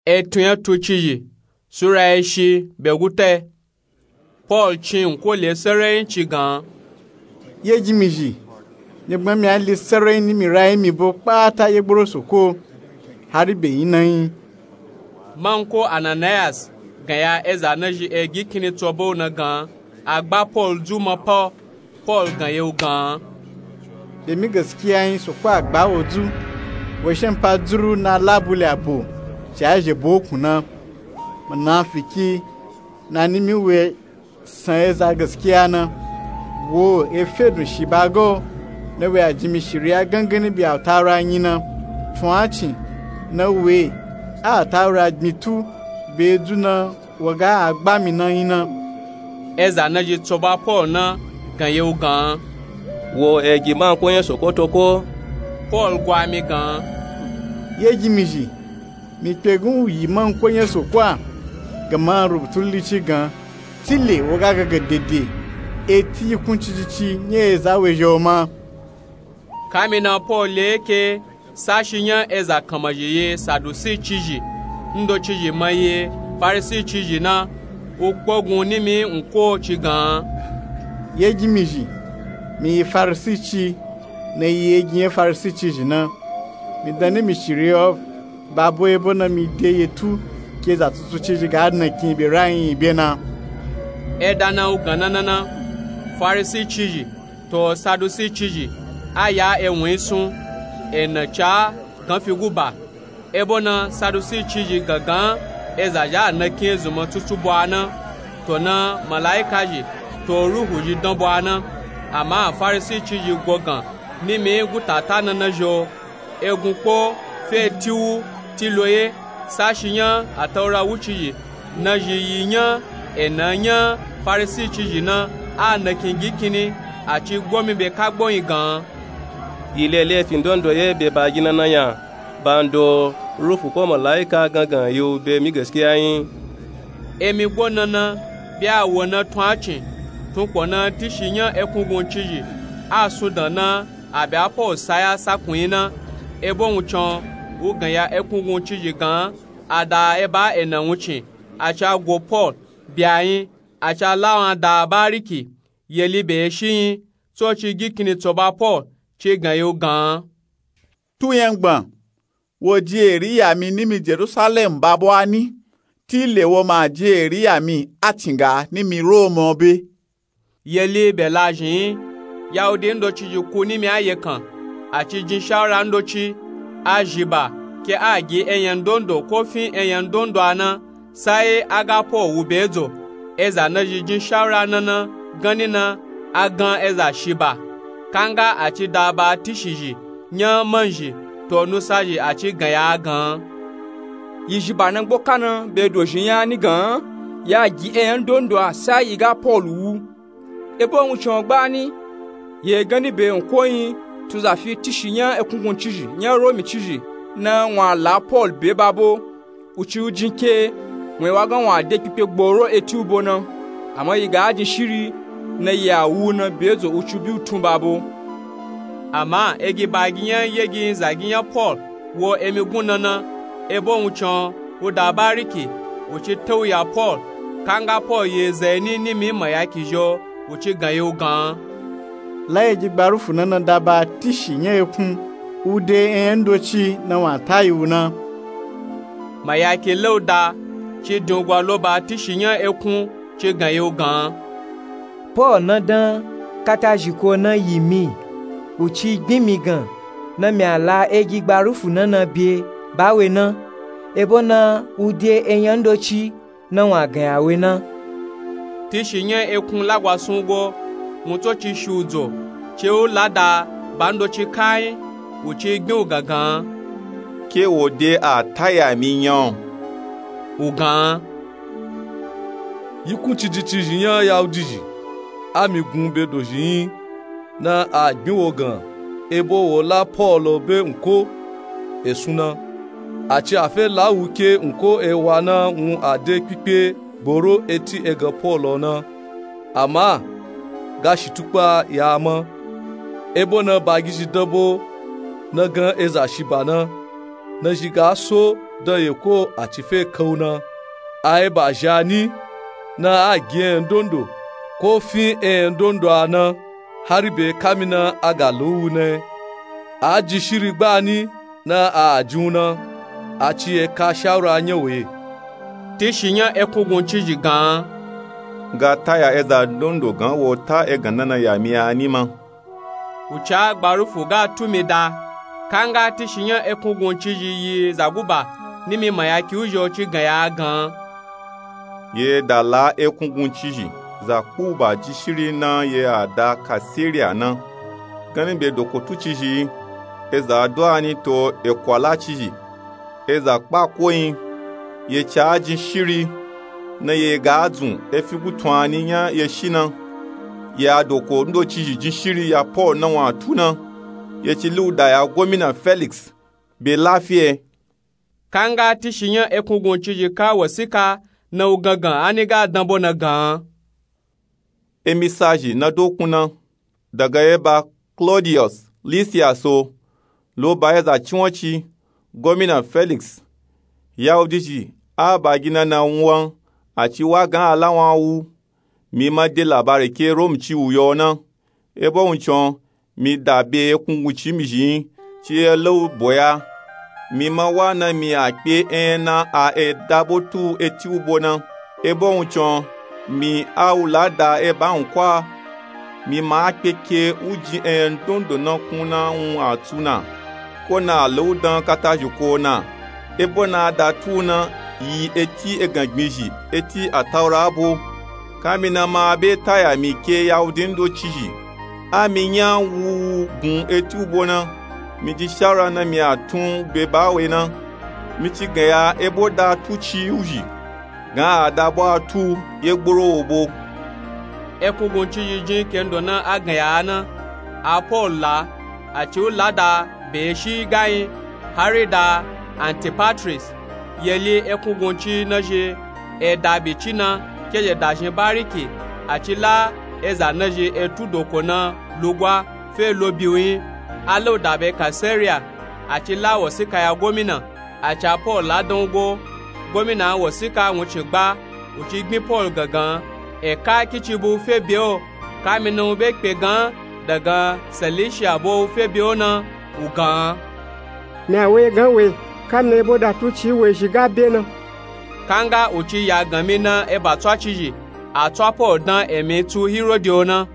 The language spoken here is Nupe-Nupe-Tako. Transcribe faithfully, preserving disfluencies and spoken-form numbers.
Etun ya tucizhi sura ya shi be guta. Pol cin nko le sarai nci gan. Ye jimizhi, mi gbami a li sarai ni mi rayi mi bo kpata ye gboro soko hari be yin na yin. Manko ananayas gan ya eza nazhi egi kini tsobo na gan a gba pol dzu ma pa. Pol gan ye u gan. Be mi gaskiya yin soko a gba wo dzu. Wo shen pa dzuru na labule abo ci a zhe bo kun na. Munafiki na ni mi we san eza gaskiya na. Wo e fe dun shi ba go na we a jimishiri a gangani bi a taura yin na. Tun a cin na we a taura gbin tu be dzu na. Wo ga a gba mi na yin na. Eza nazhi tsoba pol na gan ye u gan. Wo egi manko nya soko toko. Pol gwa mi gan. Ye jimizhi, mi kpe gun u yi manko nya soko a. Gama rubutu lici gan tile wo ga gaga dede eti yi kun cijici nya eza we zhe o ma. Kami na pol le ke sashi nya eza kanmazhi ye sadusi cizhi ndocizhi ma ye farisi cizhi na. U kpogun nimi nko ci gan. Ye jimizhi, mi yi farisi ci na yi egi nya farisi cizhi na. Mi dan nimi shiri o ba bo ebo na mi de ye tu ke za tutu cizhi ga na kin be rayi be na. E dan na u gan na na na farisi cizhi to sadusi cizhi a ya ewun yi sun. E na ca gan fi guba. Ebo na sadusi cizhi gangan eza zha a na kin ezun ma tutu bo a na. To na malaika zhi to ruhu zhi dan bo a na. Ama farisi cizhi go gan nimi gutata na na zhi o. Egun kpo fe ti wu ti lo ye. Sashi nya a taura wucizhi nazhi yi nya e na nya farisi cizhi na a na kin gi kini. A ci gbomi be kagbo yin gan. Yi lele fi ndondo ye be ba gi na na nya. Bando rufu ko malaika gangan yi u be mi gaskiya yin. Emi gbo na na be a wo na tun a cin tun kpo na tishi nya ekungun cizhi a sun dan na. A be a pol saya sakun yin na. Ebo wun can u gan ya ekungun cizhi gan a da e ba e na wun cin. A ca go pol bi a yin a ca la wan da bariki. Yeli be ye shi yin tsoci gi kini tsoba pol ci gan ye u gan. Tu yan gban wo di eri ya mi nimi jerusalem ba bo a ni. Tile wo ma di eri ya mi a cin ga nimi roma o be. Yeli be la zhin yin. Yahudi ndocizhi ku nimi a ye kan a ci jin shawura ndoci a zhi ba ke a gi eyan ndondo ko fin eyan ndondo a na. Sai a ga pol wu be dzo. Eza nazhi jin shawura na na ganni na a gan eza shi ba. Kanga a ci da ba tishi zhi nya manzhi to nusa zhi a ci gan ya a gan. Yi zhi ba na gbo ka na be dozhi nya ni gan ya gi eyan ndondo a sai yi ga pol wu. Ebo wun can gbani ye ganni be nko yin tun za fi tishi nya ekungun cizhi nya romi cizhi na wun a la pol be ba bo. Uci u jin ke wun e wa gan wun a de kpikpe gboro eti u bo na. Ama yi ga a jin shiri na yi a wu na be dzo uci u bi u tun ba bo. Ama egi ba gi nya yegi yin za gi nya pol wo emi gun na na. Ebo wun can u da bariki u ci tau ya pol. Kanga pol yi eza yi ni nimi mayaki zhi o u ci gan ye u gan. La egi gbarufu na na da ba tishi nya ekun u de eyan ndoci na wun a ta yi u na. Mayaki la u da ci din u gwa lo ba tishi nya ekun ci gan ye u gan. Pol na dan kata zhiko na yi mi u ci gbin mi gan na mi a la egi gbarufu na na be ba we na. Ebo na u de eyan ndoci na wun a gan ya we na. Tishi nya ekun lagwa sun go wun tso ci shi u dzo ci u la da ba ndoci kayin u ci gbin u gangan. Ke wo de a ta ya mi nya o u gan. Yi kun ciji cizhi nya yahudi zhi a mi gun be dozhi yin na a gbin wo gan ebo wo la pol o be nko e sun na. A ci a fe la wu ke nko e wa na wun a de kpikpe gboro eti egan pol o na. Ama ga shi tukpa ya a ma. Ebo na ba gi zhi dan bo na gan eza shi ba na na zhi ga so dan yeko a ci fe kan u na. A eba zhi a ni na a gi enyandonda ko fin enyandonda a na, hari be kamina a ga lon u na. A jin shiri gbani na a jin u na. A ci eka shawura nya we. Tishinya ekunguncizhi gan. Nga taya eza ndondo gan wo ta egan nana ya mi a ni ma. Uca gbarufu ga tu mi da. Kanga tishinya ekunguncizhi yi zaguba ni mi ma ya ki uzhi o ci gan ya gan. Ye da la ekunguncizhi za kpuba jin shiri na ye a da kasiriya na. Gani be dokotucizhi eza do a ni to ekwalacizhi. Eza kpako yin. Ye ca jin shiri na ye ga dzun efi gutun a ni nya ye shi na. Ye a doko ndocizhi jin shiri ya paul na wun a tu na. Ye ci lu da ya gomina felix be lafiye. Kanga tishinya ekunguncizhi ka wasika na u gangan a ni ga danbo na gan. Emisazhi na dokun na daga eba klodiyos lisiyas o. Lo ba eza cinwanci gomina felix. Yahudizhi a ba gina na wun wan a ci wa gan a la wun a wu. Mi ma de labari ke romci u yo na. Ebo wuncin o mi da be ekunguncin mi zhi yin ci ye la u boya. Mi ma wa na mi a kpe enyana a eda bo tu eti u bo na. Ebo wuncin o mi a u la da eba wun kwa. Mi ma a kpe ke u jin enyandondo na kun na wun a tu na. Ko na a la u dan katazhi ko na. Ebo na a da tu u na yi eti egan gbinzhi eti ataura bo. Kamina ma a be taya mi ke yahudi ndocizhi. A mi nya wu wu gun eti u bo na. Mi jin shawura na mi a tun be ba we na. Mi ci gan ya ebo da tuci u zhi gan a da bo a tu u ye gboro wo bo. Ekunguncizhi jin kendo na a gan ya a na. A paul la a ci u la da be shi gayin hari da antipatris. Ye li ekungunci na zhi eda bici na ke zhi da zhin bariki. A ci la eza na zhi etu doko na lugwa fe lo biwun yin. A la u da be kasiriya. A ci la wasika ya gomina. A ca paul la dan u go. Gomina wasika wuncin gba u ci gbin paul gangan. Eka kici bo u fe be o. Kamina u be kpe gan dagan selisiya bo u fe be o na. U gan. Mi a we gan we. Kamina ebo da tuci u we zhi ga be na. Kanga u ci ya gan mi na eba tswacizhi. A tswa paul dan emi tu hirodi o na.